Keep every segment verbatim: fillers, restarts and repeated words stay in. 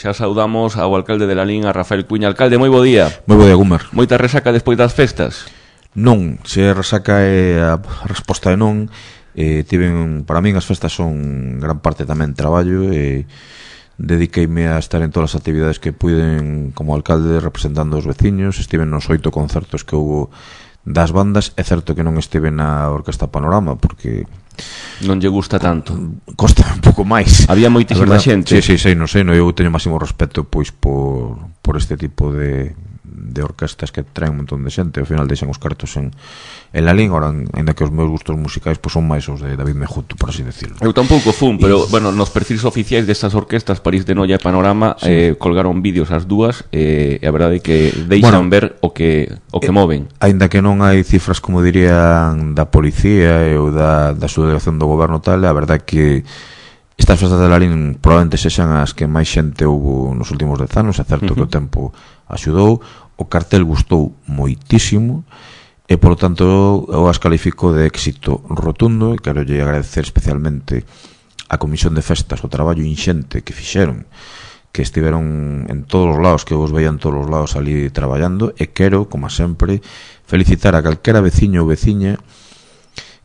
xa saudamos ao alcalde de Lalín, a Rafael Cuíña. Alcalde, moi bo día. Moi bo día, Gumer. Moita resaca despois das festas? Non, se resaca é a resposta é non. eh, tiven, para min as festas son gran parte tamén traballo e dediqueime a estar en todas as actividades que puiden como alcalde representando os veciños. Estiven nos oito concertos que houve das bandas. É certo que non estive na Orquesta Panorama porque non lle gusta tanto. Costa un pouco máis. Había moitísima xente. Sí, sí, sí, non sei, no, eu teño máximo respeto pois por, por este tipo de de orquestas que traen un montón de xente. Ao final deixan os cartos en, en Lalín. Ahora, ainda que os meus gustos musicais pois son máis os de David Mejuto, por así decirlo. Eu tampouco fun, pero, y... bueno, nos perfis oficiais destas orquestas, París de Noia e Panorama, sí. eh, colgaron vídeos as dúas, eh, e a verdade é que deixan bueno, ver o que o que eh, moven. Ainda que non hai cifras, como dirían, da policía ou da, da subdelegación do goberno tal, a verdade é que estas festas de Lalín probablemente sexan as que máis xente houve nos últimos dez anos. É certo uh-huh. que o tempo axudou. O cartel gustou moitísimo e, polo tanto, eu as califico de éxito rotundo. E quero lle agradecer especialmente a Comisión de Festas o traballo inxente que fixeron, que estiveron en todos os lados, que vos veían todos os lados ali traballando. E quero, como sempre, felicitar a calquera veciño ou veciña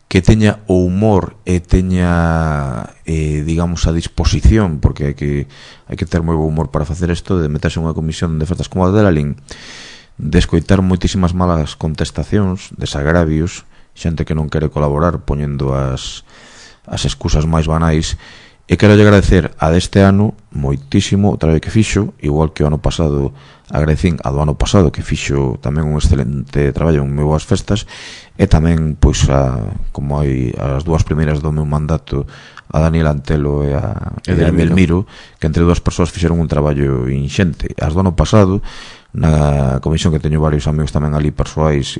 que teña o humor e teña, eh, digamos, a disposición, porque hai que hai que ter moi bo humor para facer isto, de meterse unha comisión de festas como a de Lalín, de escoitar moitísimas malas contestacións, desagravios, xente que non quere colaborar poñendo as as excusas máis banais. E quero lle agradecer a deste ano moitísimo o traballo que fixo, igual que o ano pasado agradecín a do ano pasado, que fixo tamén un excelente traballo en moi boas festas. E tamén, pois, a, como hai as dúas primeiras do meu mandato, a Daniel Antelo e a Edelmiro, que entre dúas persoas fixeron un traballo inxente. As do ano pasado, na comisión, que teño varios amigos tamén ali persoais,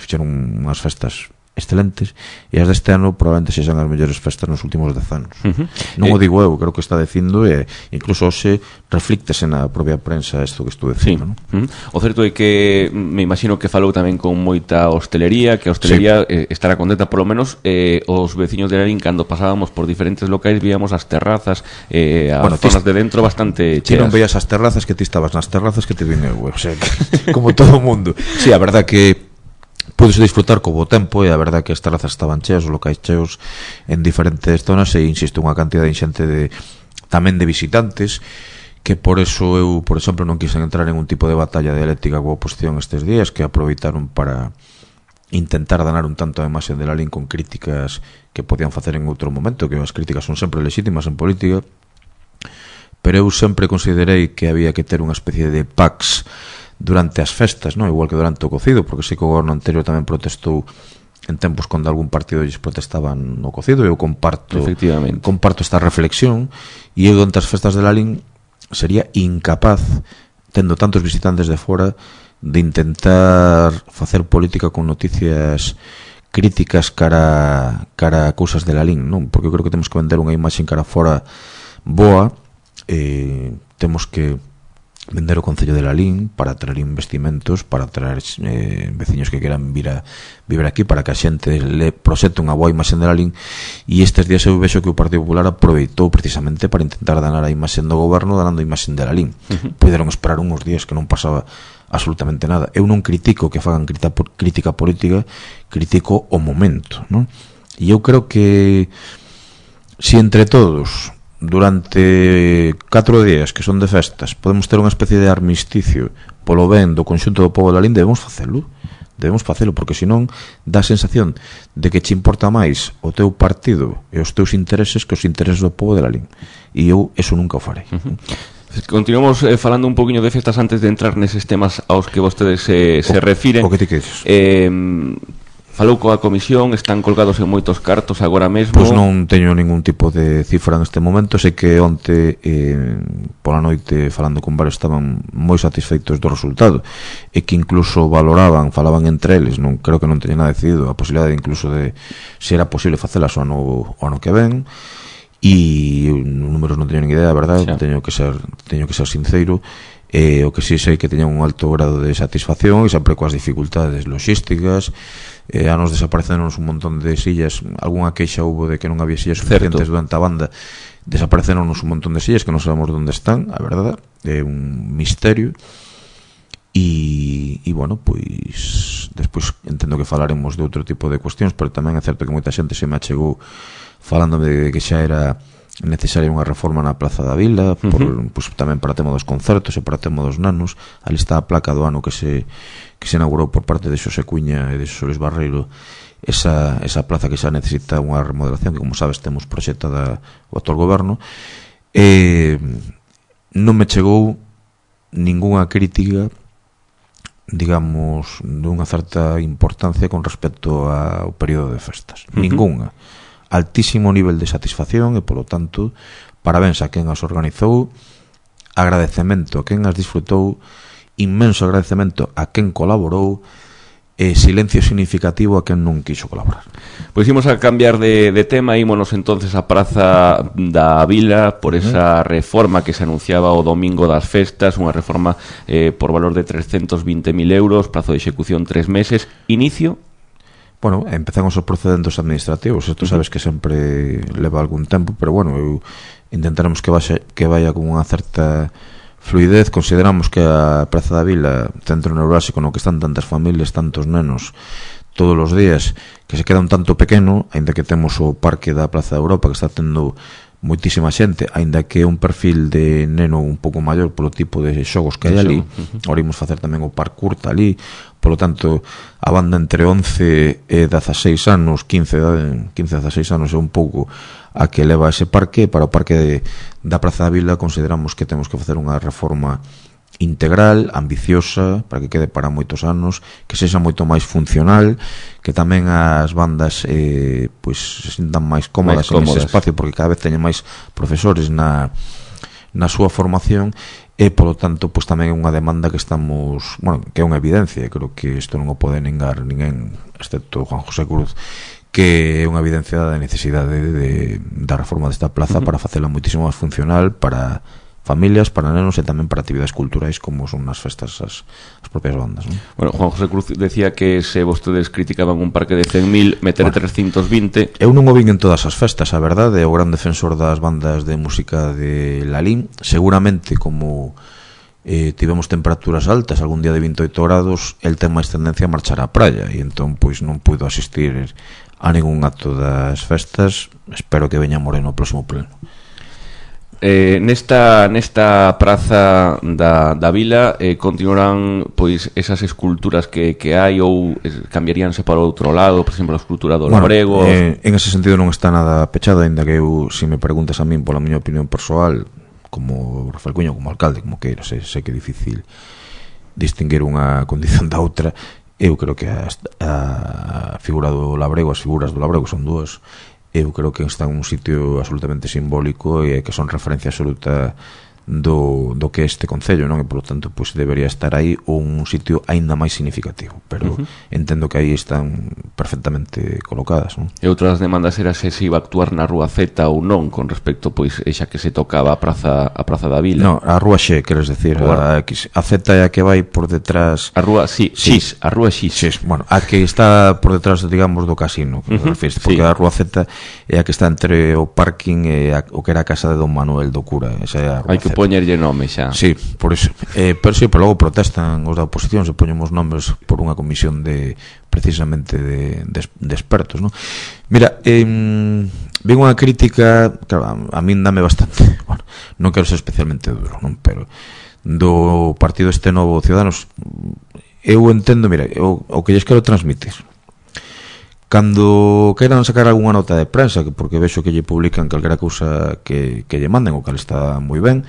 fixeron unhas festas excelentes, e as deste ano probablemente sexan as mellores festas nos últimos dez anos. Uh-huh. Non eh, o digo eu, creo que está dicindo, e incluso hoxe reflíctese na propia prensa isto que estou dicindo, sí. Non? Uh-huh. O certo é que me imagino que falou tamén con moita hostelería, que a hostelería sí. eh, estará contenta, polo menos eh, os veciños de Lalín, cando pasábamos por diferentes locais, víamos as terrazas, eh, as bueno, zonas tis, de dentro bastante cheas. Ti non veías as terrazas, que ti estabas nas terrazas que te vine eu, o sea, que, como todo o mundo. Sí, a verdad que pudes disfrutar co bo tempo, e a verdade que as terrazas estaban cheas, os locais cheos en diferentes zonas, e insisto, unha cantidad inxente de tamén de visitantes, que por eso eu, por exemplo, non quixen entrar en un tipo de batalla dialéctica coa oposición estes días, que aproveitaron para intentar danar un tanto a imaxe de Lalín con críticas que podían facer en outro momento, que as críticas son sempre legítimas en política, pero eu sempre considerei que había que ter unha especie de pax durante as festas, non? Igual que durante o cocido, porque sei que o goberno anterior tamén protestou en tempos cando algún partido lles protestaban no cocido. Eu comparto comparto esta reflexión, e eu durante as festas de Lalín sería incapaz, tendo tantos visitantes de fora, de intentar facer política con noticias críticas cara cara a cousas de Lalín, non? Porque eu creo que temos que vender unha imaxe cara fora boa, eh, temos que vender o Concello de Lalín para traer investimentos, para traer eh, veciños que queran vir a vivir aquí, para que a xente le proxete unha boa imaxe de Lalín. E estes días eu vexo que o Partido Popular aproveitou precisamente para intentar danar a imaxe do goberno, danando a imaxe de Lalín. Uh-huh. Puderon esperar uns días que non pasaba absolutamente nada. Eu non critico que fagan crítica política, critico o momento, non? E eu creo que si entre todos durante catro días que son de festas podemos ter unha especie de armisticio polo ben do conxunto do pobo de Lalín, debemos facelo debemos facelo, porque senón dá a sensación de que che importa máis o teu partido e os teus intereses que os intereses do pobo de Lalín, e eu eso nunca o farei. Uh-huh. Continuamos eh, falando un poquinho de festas antes de entrar neses temas aos que vostedes eh, se o, refiren. O que te quedes? Eh, falou coa comisión, están colgados en moitos cartos agora mesmo. Pois non teño ningún tipo de cifra neste momento. Sei que onte eh, pola noite falando con varios estaban moi satisfeitos do resultado, e que incluso valoraban, falaban entre eles, non creo que non teñen nada decidido, a posibilidade incluso de se era posible facelas o ano, o ano que ven. E números non teño nin idea, a verdade, sí. teño que ser teño que ser sincero. Eh, o que si sei que teñan un alto grado de satisfacción, e sempre coas dificultades logísticas. Eh, anos desaparecenos un montón de sillas, algunha queixa hubo de que non había sillas suficientes durante a banda, desapareceronnos un montón de sillas que non sabemos onde están, a verdade, é un misterio. E, e bueno, pois despois entendo que falaremos de outro tipo de cuestións, pero tamén é certo que moita xente se me achegou falándome de que xa era necesaria unha reforma na Praza da Vila, por, uh-huh. pois, tamén para tema dos concertos e para tema dos nanos. Ali está a placa do ano que se que se inaugurou por parte de Xosé Cuña e de Xosé Luis Barreiro, esa, esa plaza que xa necesita unha remodelación, que como sabes temos proxectada o actual goberno. E non me chegou ningunha crítica, digamos, dunha certa importancia con respecto ao período de festas. Uh-huh. Ningunha. Altísimo nivel de satisfacción e, polo tanto, parabéns a quen as organizou, agradecemento a quen as disfrutou, inmenso agradecemento a quen colaborou e silencio significativo a quen non quixo colaborar. Pois imos a cambiar de, de tema, ímonos entonces a Praza da Vila por esa reforma que se anunciaba o domingo das festas, unha reforma eh, por valor de trescentos vinte mil euros, prazo de execución tres meses, inicio? Bueno, empezamos os procedentes administrativos, isto sabes que sempre leva algún tempo, pero bueno, eu intentaremos que vaya, que vaya con unha certa fluidez. Consideramos que a Praza da Vila, centro neurálxico no que están tantas familias, tantos nenos todos os días, que se queda un tanto pequeno, aínda que temos o parque da Praza da Europa que está tendo moitísima xente, aínda que é un perfil de neno un pouco maior polo tipo de xogos que hai ali. Uh-huh. Ahora imos facer tamén o parkour curta ali, polo tanto a banda entre once e dezaseis anos, quince a dezaseis anos é un pouco a que leva ese parque. Para o parque de, da Praza da Vila consideramos que temos que facer unha reforma integral, ambiciosa, para que quede para moitos anos, que sexa moito máis funcional, que tamén as bandas eh, pois se sintan máis cómodas, máis cómodas en ese espacio, porque cada vez teñen máis profesores na, na súa formación, e polo tanto pois tamén é unha demanda que estamos, bueno, que é unha evidencia, creo que isto non o pode negar ninguén excepto Juan José Cruz, que é unha evidencia da necesidade de, de, da reforma desta plaza. Uh-huh. Para facela moitísimo máis funcional para familias, para nenos e tamén para actividades culturais como son as festas as, as propias bandas, non? Bueno, Juan José Cruz decía que se vostedes criticaban un parque de cen mil, meter bueno, trescentos vinte. Eu non o vin en todas as festas, a verdade, é o gran defensor das bandas de música de Lalín. Seguramente como eh, tivemos temperaturas altas, algún día de vinte e oito grados, el ten máis tendencia a marchar á praia, e entón pois non puido asistir a ningún acto das festas. Espero que veña Moreno o próximo pleno. Eh, nesta nesta praza da, da Vila eh, continuarán pois esas esculturas que, que hai, ou eh, cambiaríanse para outro lado, por exemplo a escultura do bueno, Labrego? Eh, en ese sentido non está nada pechado, ainda que eu, se me preguntas a min pola miña opinión persoal, como Rafael Cuño, como alcalde, como queira, sei, sei que é difícil distinguir unha condición da outra. Eu creo que a, a figura do Labrego, as figuras do Labrego son dúas. Eu creo que está en un sitio absolutamente simbólico e que son referencia absoluta do, do que é este concello, non? E polo tanto pois debería estar aí, ou un sitio aínda máis significativo, pero uh-huh. entendo que aí están perfectamente colocadas, non? E outras demandas era se se iba a actuar na Rúa Z ou non, con respecto pois xa que se tocaba a praza a praza da Vila. No, a Rúa X, queres decir, a X. A Z é a que vai por detrás. A Rúa, sí, sí. X, a Rúa X. X, bueno, a que está por detrás, digamos, do casino, que uh-huh. refires, porque sí. A Rúa Z é a que está entre o parking e a, o que era a casa de Don Manuel do cura, esa é a Rúa. Hai que poñerlle nome xa. Sí, por eso. Eh, pero sí, pero logo protestan os da oposición, se poñemos nombres por unha comisión de precisamente de, de, de expertos, ¿no? Mira, eh, ven unha crítica, claro, a, a min dame bastante, bueno, non quero ser especialmente duro, non, pero do partido este novo Ciudadanos, eu entendo, mira, eu, o que lles quero transmitir. Cando queiran sacar algunha nota de prensa, porque vexo que lle publican calquera cousa que, que lle manden, o cal está moi ben,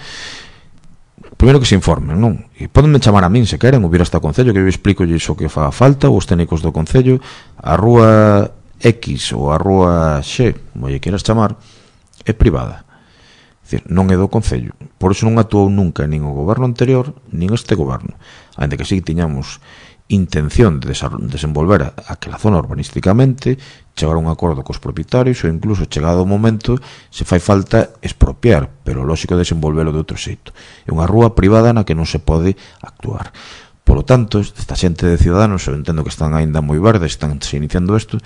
primeiro que se informen, non? E podenme chamar a min se queren, ou vir hasta o Concello, que eu explico iso que faga falta, ou os técnicos do Concello. A Rúa X ou a Rúa X, como lle queras chamar, é privada. É dicir, non é do Concello. Por iso non actuou nunca nin o goberno anterior, nin este goberno. Ainda que sí tiñamos intención de desenvolver aquela zona urbanísticamente, chegar a un acordo cos propietarios, ou incluso chegado o momento se fai falta expropiar, pero lógico desenvolvelo de outro xeito. É unha rúa privada na que non se pode actuar. Por lo tanto, esta xente de Ciudadanos, eu entendo que están aínda moi verdes, están se iniciando isto,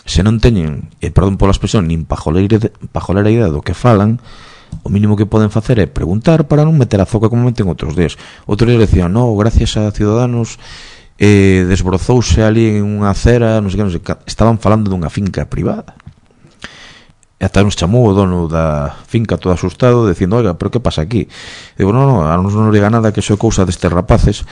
se non teñen, e perdón pola expresión, nin pajolera, pajolera idea do que falan, o mínimo que poden facer é preguntar para non meter a zoca como meten outros días. Outros días decían, no, gracias a Ciudadanos eh, desbrozouse ali en unha acera, non sei que, non sei que, estaban falando dunha finca privada. E ata nos chamou o dono da finca todo asustado dicindo, oiga, pero que pasa aquí? E digo, non, non, a nos non liga nada, que iso é cousa destes rapaces.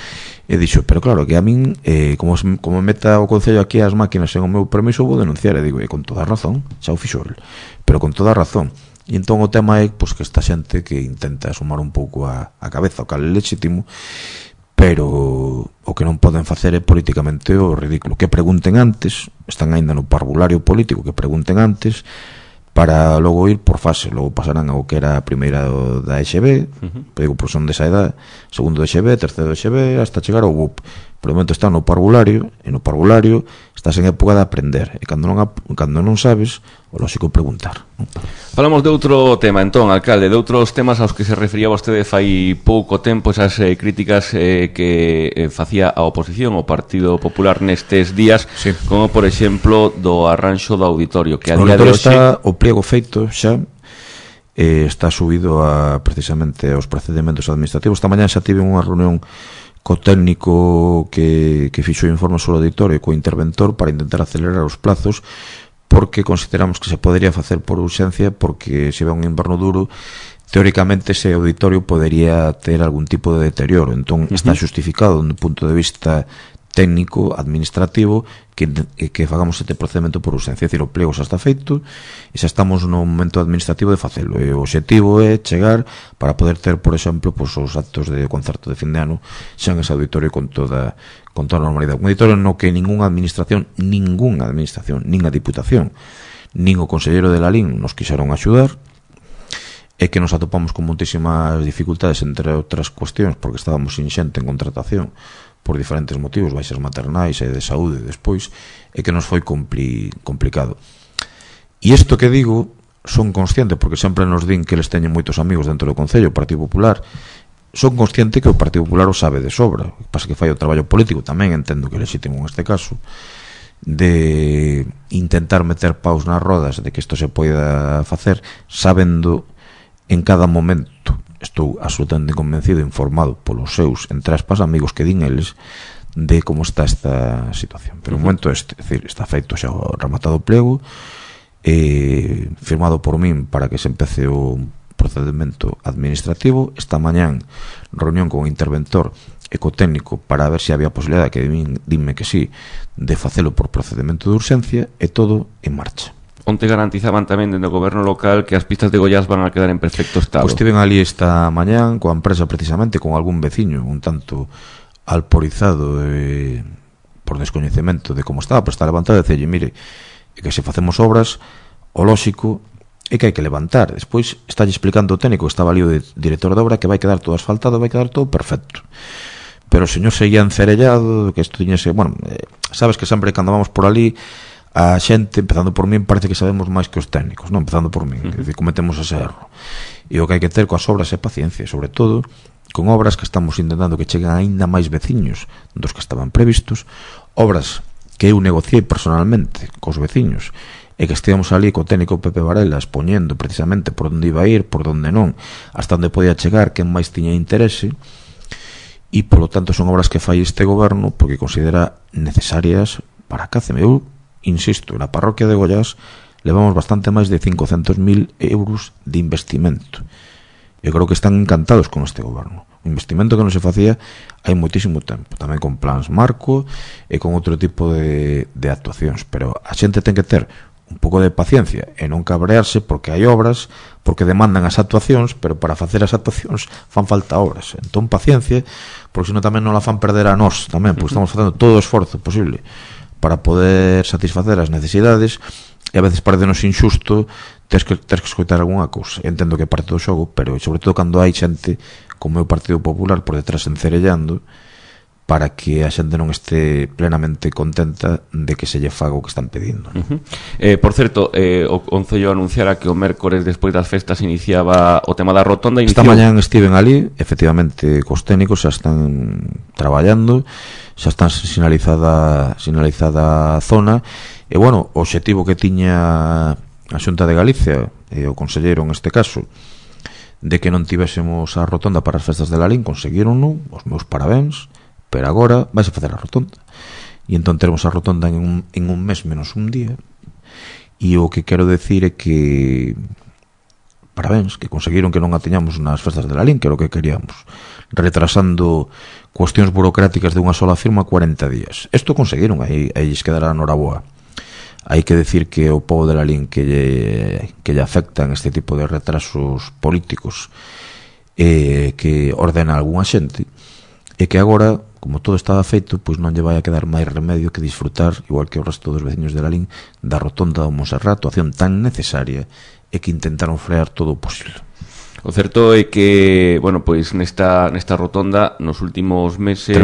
E dixo, pero claro, que a min eh, como, como meta o Concello aquí as máquinas en o meu permiso, vou denunciar. E digo, e con toda a razón, xa o fixo el, pero con toda a razón. E entón o tema é pois, que esta xente que intenta sumar un pouco a, a cabeza o cal é legítimo, pero o que non poden facer é políticamente o ridículo. Que pregunten antes, están aínda no parvulario político, que pregunten antes, para logo ir por fase, logo pasarán ao que era a primeira da E X B, uh-huh. Digo, por son desa edad, segundo da E X B, terceiro da E X B, hasta chegar ao B U P. Por o momento está no parvulario, e no parvulario estás en época de aprender, e cando non, cando non sabes, o lógico é preguntar. Falamos de outro tema, entón, alcalde, de outros temas aos que se refería vostede fai pouco tempo, esas eh, críticas eh, que eh, facía a oposición, o Partido Popular nestes días, sí. Como, por exemplo, do arranxo do auditorio, que a día de hoxe... Está o pliego feito xa, eh, está subido a, precisamente aos procedimentos administrativos. Esta mañá xa tive unha reunión co técnico que, que fixo o informe sobre o auditorio, co interventor, para intentar acelerar os plazos, porque consideramos que se podería facer por urxencia, porque se ve un inverno duro, teóricamente ese auditorio podería ter algún tipo de deterioro. Entón, uh-huh. Está justificado dun punto de vista técnico, administrativo, que, que fagamos este procedimento por urxencia. É dicir, o pliego xa está feito e xa estamos no momento administrativo de facelo, e o objetivo é chegar para poder ter, por exemplo, pues, os actos de concerto de fin de ano xa en ese auditorio con toda con toda a normalidade. Un auditorio no que ninguna administración ninguna administración, nin a Diputación nin o Conselleiro de la L I N nos quixeron axudar, e que nos atopamos con moitísimas dificultades, entre outras cuestións porque estábamos sin xente en contratación por diferentes motivos, baixas maternais e de saúde despois, e que nos foi compli, complicado. E isto que digo, son consciente, porque sempre nos din que eles teñen moitos amigos dentro do Concello, o Partido Popular, son consciente que o Partido Popular o sabe de sobra, o que pasa que fai o traballo político, tamén entendo que é legítimo neste caso, de intentar meter paus nas rodas de que isto se poida facer, sabendo en cada momento, estou absolutamente convencido, informado polos seus, entre aspas, amigos que din eles, de como está esta situación. Pero o momento este, é dicir, está feito xa o rematado o pliego, eh, firmado por min para que se empece o procedimento administrativo. Esta mañán reunión con o interventor e co técnico para ver se había posibilidade, que din, dinme que sí, de facelo por procedimento de urxencia, e todo en marcha. Onte garantizaban tamén dentro do goberno local que as pistas de Goiás van a quedar en perfecto estado. Pois estiven ali esta mañán coa empresa, precisamente con algún veciño un tanto alporizado eh, por descoñecemento de como estaba, pero está levantado, e dicelle, mire, que se facemos obras, o lóxico é que hai que levantar. Despois está explicando o técnico, que estaba ali o de director de obra, que vai quedar todo asfaltado, vai quedar todo perfecto. Pero o señor seguía encerellado, que isto tiñese, bueno, eh, sabes que sempre cando vamos por ali, a xente, empezando por min, parece que sabemos máis que os técnicos, non? Empezando por min, uh-huh. Que cometemos ese erro. E o que hai que ter coas obras é paciencia, sobre todo con obras que estamos intentando que cheguen aínda máis veciños dos que estaban previstos, obras que eu negociei personalmente cos veciños, e que estivemos ali co técnico Pepe Varela expoñendo precisamente por onde iba a ir, por onde non, hasta onde podía chegar, quen máis tiña interese, e polo tanto son obras que fai este goberno porque considera necesarias para a Cáceme. Eu insisto, na parroquia de Goiás levamos bastante máis de cincocentos mil euros de investimento. Eu creo que están encantados con este goberno. Un investimento que non se facía hai moitísimo tempo, tamén con plans marco e con outro tipo de, de actuacións, pero a xente ten que ter un pouco de paciencia e non cabrearse porque hai obras, porque demandan as actuacións, pero para facer as actuacións fan falta obras. Entón paciencia, porque senón tamén non la fan perder a nós tamén, porque estamos facendo todo o esforzo posible para poder satisfacer as necesidades, e a veces parecenos injusto ters que, ters que escoitar algunha cousa. Entendo que é parte do xogo, pero sobre todo cando hai xente como é o Partido Popular por detrás encerellando, para que a xente non este plenamente contenta de que se lle faga o que están pedindo. Uh-huh. eh, Por certo, eh, o Concello anunciara que o mércores despois das festas iniciaba o tema da rotonda. Esta mañán estiven ali, efectivamente, cos técnicos xa están traballando, xa están sinalizada sinalizada a zona, E, bueno, o obxectivo que tiña a Xunta de Galicia, e o conselleiro neste caso, de que non tivésemos a rotonda para as festas de Lalín, conseguiron, non? Os meus parabéns, pero agora vais a facer a rotonda. E entón teremos a rotonda en un, en un mes menos un día. E o que quero decir é que parabéns, que conseguiron que non a teñamos nas festas de Lalín, que era o que queríamos, retrasando cuestións burocráticas de unha sola firma cuarenta días. Isto conseguiron, aí, aí lles quedará noraboa. Hai que decir que o pobo de Lalín que lle, que lle afectan este tipo de retrasos políticos, eh, que ordena algunha xente, e que agora, como todo estaba feito, pois non lle vai a quedar máis remedio que disfrutar, igual que o resto dos veciños de Lalín, da rotonda do Monserrat, acción tan necesaria, e que intentaron frear todo o posible. O certo é que, bueno, pois nesta nesta rotonda nos últimos meses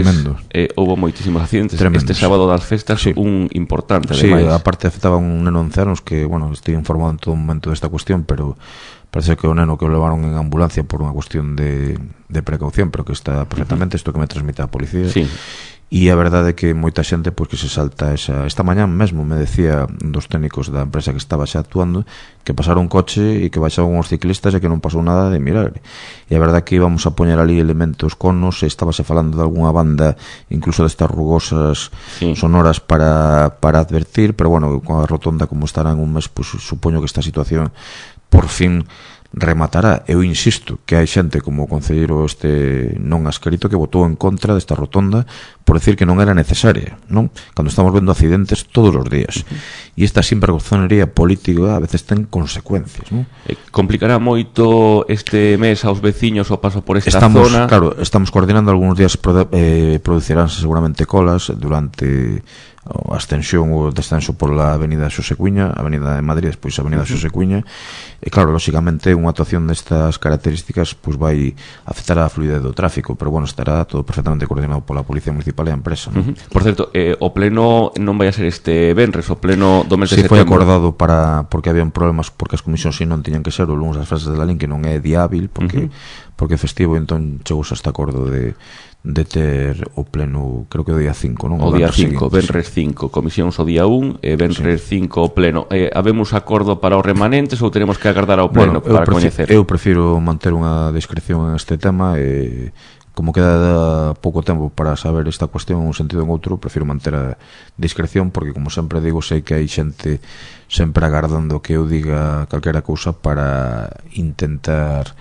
eh, houve moitísimos accidentes. Tremendos. Este sábado das festas, sí. Un importante, sí, ademais. Sí, aparte afectaba un neno de once anos que, bueno, estoy informado en todo momento desta cuestión, pero parece que o neno que o levaron en ambulancia por unha cuestión de, de precaución, pero que está perfectamente, isto que me transmite a policía. Sí. E a verdade é que moita xente pois que se salta esa... Esta mañá mesmo me decía dos técnicos da empresa que estaba xa actuando que pasaron un coche e que baixaban os ciclistas e que non pasou nada de milagre. E a verdade é que íbamos a poñer ali elementos conos, e estábase falando de algunha banda incluso destas rugosas, sí, sonoras para, para advertir, pero bueno, con a rotonda como estará en un mes, pois supoño que esta situación por fin rematará. Eu insisto que hai xente como o concelleiro este non ascrito que votou en contra desta rotonda por decir que non era necesaria, non? Cando estamos vendo accidentes todos os días. Uh-huh. E esta sinvergonzonería política a veces ten consecuencias, non? Eh, complicará moito este mes aos veciños o paso por esta estamos, zona. Claro, estamos coordinando algúns días, eh, produciránse seguramente colas durante a ascensión ou descenso pola avenida Xosé Cuíña, a avenida de Madrid, despois a avenida Xosé Cuíña, e claro, lóxicamente unha actuación destas características pois vai afectar a fluidez do tráfico, pero bueno, estará todo perfectamente coordinado pola Policía Municipal e a empresa, ¿no? Uh-huh. Por certo, eh, o pleno non vai a ser este venres, o pleno do mes de sí, setembro. Foi acordado para, porque habían problemas, porque as comisións si non tiñan que ser o lunes das festas de Lalín, que non é día hábil, porque, uh-huh, porque é festivo, entón chegou hasta acordo de de ter o pleno, creo que o día cinco, non? O, o día cinco, venres cinco, comisións o día un e venres cinco o pleno. Eh, habemos acordo para os remanentes ou tenemos que agardar ao pleno, bueno, para coñecer? Eu prefiro manter unha discreción en este tema e como queda pouco tempo para saber esta cuestión en un sentido ou en outro, prefiro manter a discreción porque, como sempre digo, sei que hai xente sempre agardando que eu diga calquera cousa para intentar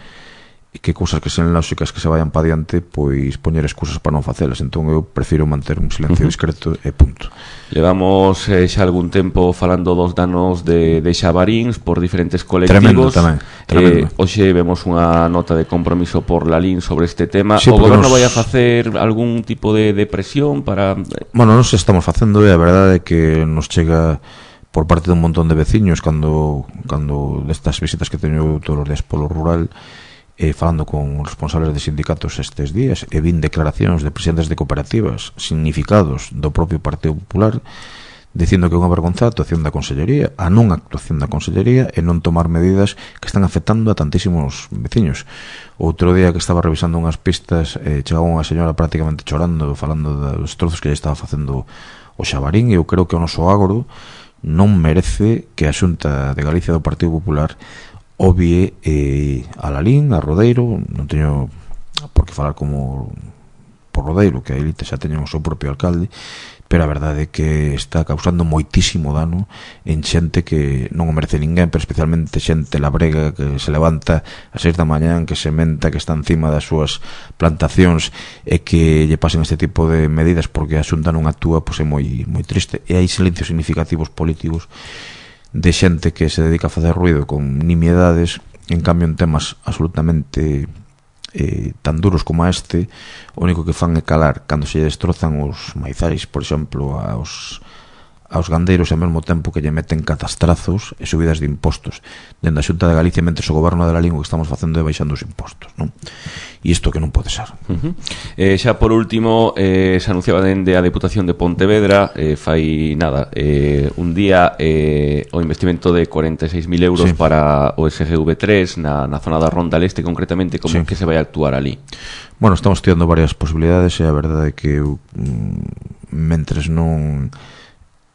que cousas que sean lóxicas que se vayan pa diante, pois poñer excusas para non facelas. Entón eu prefiro manter un silencio discreto e punto. Levamos eh, xa algún tempo falando dos danos de, de Xabaríns por diferentes colectivos. Tremendo tamén, tremendo. Eh, hoxe vemos unha nota de compromiso por Lalín sobre este tema. Sí, o goberno nos... vai a facer algún tipo de, de presión para... Bueno, nos estamos facendo e a verdade é que nos chega por parte de un montón de veciños cando, cando destas visitas que teño todos os días polo rural, eh, falando con responsables de sindicatos estes días, e vin declaracións de presidentes de cooperativas significados do propio Partido Popular dicindo que é unha vergonza a actuación da Consellería, a non actuación da Consellería e non tomar medidas que están afectando a tantísimos veciños. Outro día que estaba revisando unhas pistas, eh, chegaba unha señora prácticamente chorando, falando dos trozos que lle estaba facendo o Xabarín, e eu creo que o noso agro non merece que a Xunta de Galicia do Partido Popular obvie eh, a Lalín, a Rodeiro. Non teño por que falar como por Rodeiro, que a elite xa teñen o seu propio alcalde, pero a verdade é que está causando moitísimo dano en xente que non o merece ninguén, pero especialmente xente labrega que se levanta a seis da mañán, que se menta, que está encima das súas plantacións e que lle pasen este tipo de medidas porque a Xunta non actúa, pois é moi, moi triste. E hai silencios significativos políticos de xente que se dedica a facer ruido con nimiedades, en cambio en temas absolutamente eh, tan duros como este, o único que fan é calar cando se destrozan os maizais, por exemplo, aos, aos gandeiros, e ao mesmo tempo que lle meten catastrazos e subidas de impostos dende a Xunta de Galicia, mentre o goberno de la lingua que estamos facendo é baixando os impostos, non? E isto que non pode ser. Uh-huh. eh, Xa por último, eh, se anunciaba dende a Deputación de Pontevedra eh, fai nada, eh, un día eh, o investimento de cuarenta e seis mil euros, sí, para o S G V tres na, na zona da Ronda Leste, concretamente, como, sí, que se vai a actuar ali? Bueno, estamos estudiando varias posibilidades e a verdade é que eu, mentres non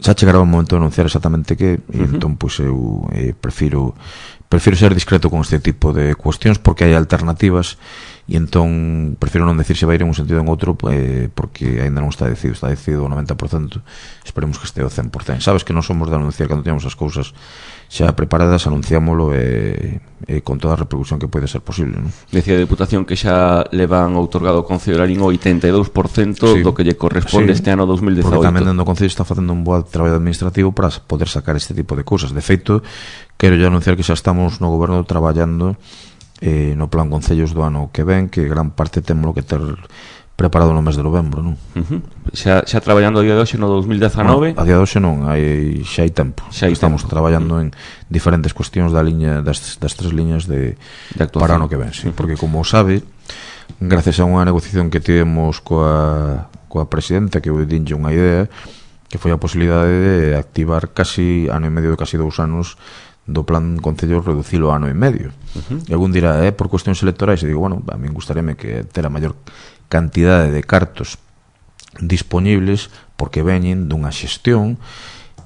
xa chegará o momento de anunciar exactamente que, e uh-huh. entón pois eu eh, prefiro prefiro ser discreto con este tipo de cuestións porque hai alternativas e entón prefiro non decir se vai ir en un sentido ou en outro eh, porque ainda non está decidido, está decidido o noventa por cento, esperemos que este o cen por cento. Sabes que non somos de anunciar cando temos as cousas xa preparadas, anunciámolo e, e con toda a repercusión que pode ser posible, non? Decía a Deputación que xa le van outorgado ao Concello de Lalín o oitenta e dous por cento sí, do que lle corresponde sí, este ano dos mil dezaoito. Porque tamén dentro do Concello está facendo un bo traballo administrativo para poder sacar este tipo de cousas. De feito, quero ya anunciar que xa estamos no goberno traballando eh, no plan concellos do ano que ven, que gran parte temos que ter preparado no mes de novembro, non? Uh-huh. Xa, xa traballando a día de hoxe no dos mil dezanove? No, a día de hoxe non, hai, xa hai tempo. Xa hai Estamos tempo. traballando uh-huh. en diferentes cuestións da liña das, das tres liñas de, de para o ano que ven, sí. Uh-huh. Porque como sabe, gracias a unha negociación que tivemos coa, coa presidenta, que eu dinlle unha idea, que foi a posibilidade de activar casi ano e medio, casi dous anos do plan concello, reducilo a ano e medio. Uh-huh. E algún dirá, é eh, por cuestións electorais, e digo, bueno, a mí gustaríame que ter a maior cantidade de cartos disponibles porque veñen dunha xestión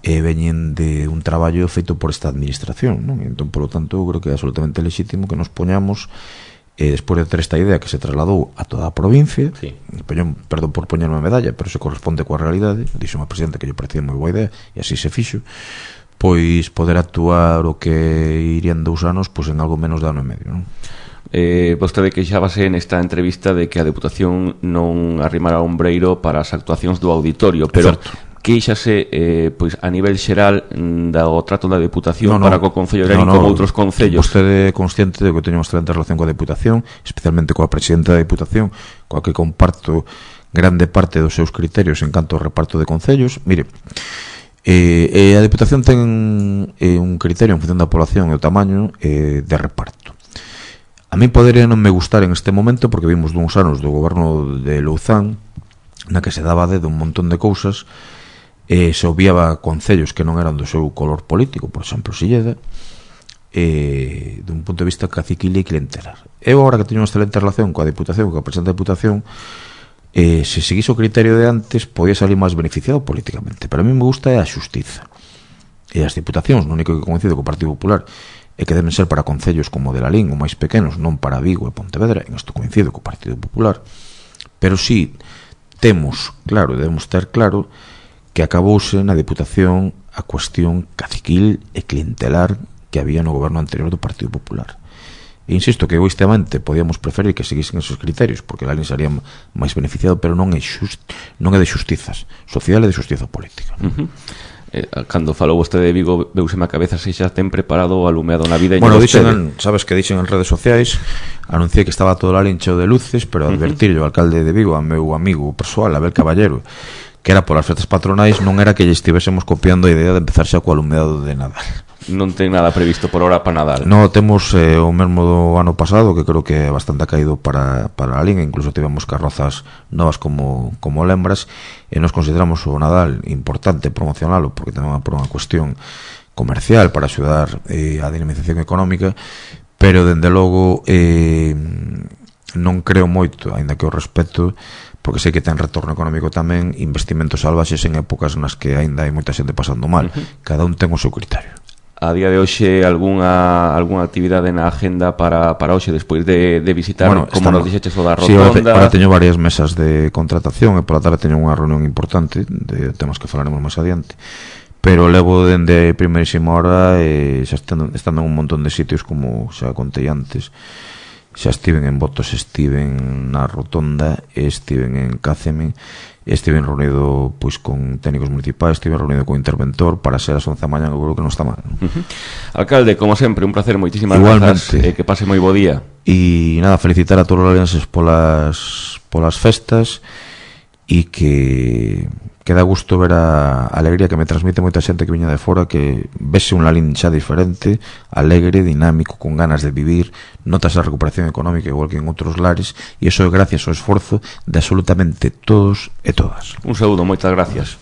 e veñen de un traballo feito por esta administración, non? Entón, por lo tanto, eu creo que é absolutamente legítimo que nos poñamos e despois de ter esta idea que se trasladou a toda a provincia, sí. Poñón, perdón por poñer unha medalla, pero se corresponde coa realidade, dixo unha presidenta que lle parecía moi boa idea e así se fixo, pois poder actuar o que irían dous anos pois en algo menos de ano e medio, non? Eh, vostede queixábase nesta entrevista de que a Deputación non arrimara o ombreiro para as actuacións do auditorio, pero queixase eh, pois a nivel xeral do trato da Deputación no, no, para co Concello de Lalín no, no, como outros concellos. Vostede é consciente de que teño unha excelente relación coa Deputación, especialmente coa presidenta da Deputación, coa que comparto grande parte dos seus criterios en canto ao reparto de concellos. Mire, eh, eh, a Deputación ten eh, un criterio en función da población e o tamaño eh, de reparto. A mí podería non me gustar en este momento porque vimos duns anos do goberno de Louzán na que se daba de un montón de cousas e se obviaba concellos que non eran do seu color político, por exemplo Silleda, e dun punto de vista caciquil e clientelar. Eu agora que teño unha excelente relación coa Deputación, coa presidenta da Deputación, eh, se seguise o criterio de antes podía salir máis beneficiado políticamente, pero a mí me gusta é a xustiza e as Deputacións, no único que coincido co Partido Popular e que deben ser para concellos como de Lalín ou máis pequenos, non para Vigo e Pontevedra, en isto coincido co Partido Popular, pero si temos claro, debemos ter claro que acabouse na Deputación a cuestión caciquil e clientelar que había no goberno anterior do Partido Popular. E insisto que egoístamente podíamos preferir que seguisen esos criterios porque Lalín sería máis beneficiado, pero non é just, non é de xustizas social e de xustiza política. Uh-huh. Eh, cando falou vostede de Vigo, veuseme a cabeza se xa ten preparado o alumeado na vida. Bueno, dixen, sabes que dixen en redes sociais, anunciei que estaba todo Lalín cheo de luces, pero advertirlle ao alcalde de Vigo, a meu amigo persoal, Abel Caballero, que era polas festas patronais, non era que lle estivésemos copiando a idea de empezar xa co alumeado de Nadal. Non ten nada previsto por hora para Nadal. No, temos eh, o mesmo do ano pasado, que creo que é bastante caído para, para a liga, incluso tivemos carrozas novas como, como lembras, e nos consideramos o Nadal importante promocionalo, porque tamén por unha cuestión comercial para axudar eh, a dinamización económica, pero dende logo eh, non creo moito, aínda que o respeto, porque sei que ten retorno económico tamén, investimentos salvaxes en épocas nas que aínda hai moita xente pasando mal. Uh-huh. Cada un ten o seu criterio. A día de hoxe algunha algunha actividade na agenda para, para hoxe despois de, de visitar, bueno, como estamos, nos dixeches o da rotonda? Sí, ahora, ahora teño varias mesas de contratación e pola tarde teño unha reunión importante de temas que falaremos máis adiante, pero levo dende primeirísima hora e xa estando, estando en un montón de sitios, como xa contei antes. Xa estiven en Botos, estiven na rotonda, estiven en Cáceme, estiven reunido pois con técnicos municipais, estiven reunido con interventor para ser as once da mañá, eu creo que non está mal. Uh-huh. Alcalde, como sempre, un placer, moitísimas grazas, eh, que pase moi bo día. E nada, felicitar a todos os alianses polas polas festas e que que dá gusto ver a alegría que me transmite moita xente que viña de fora, que vese un Lalín xa diferente, alegre, dinámico, con ganas de vivir, notas a recuperación económica igual que en outros lares, e iso é gracias ao esforzo de absolutamente todos e todas. Un saúdo, moitas gracias.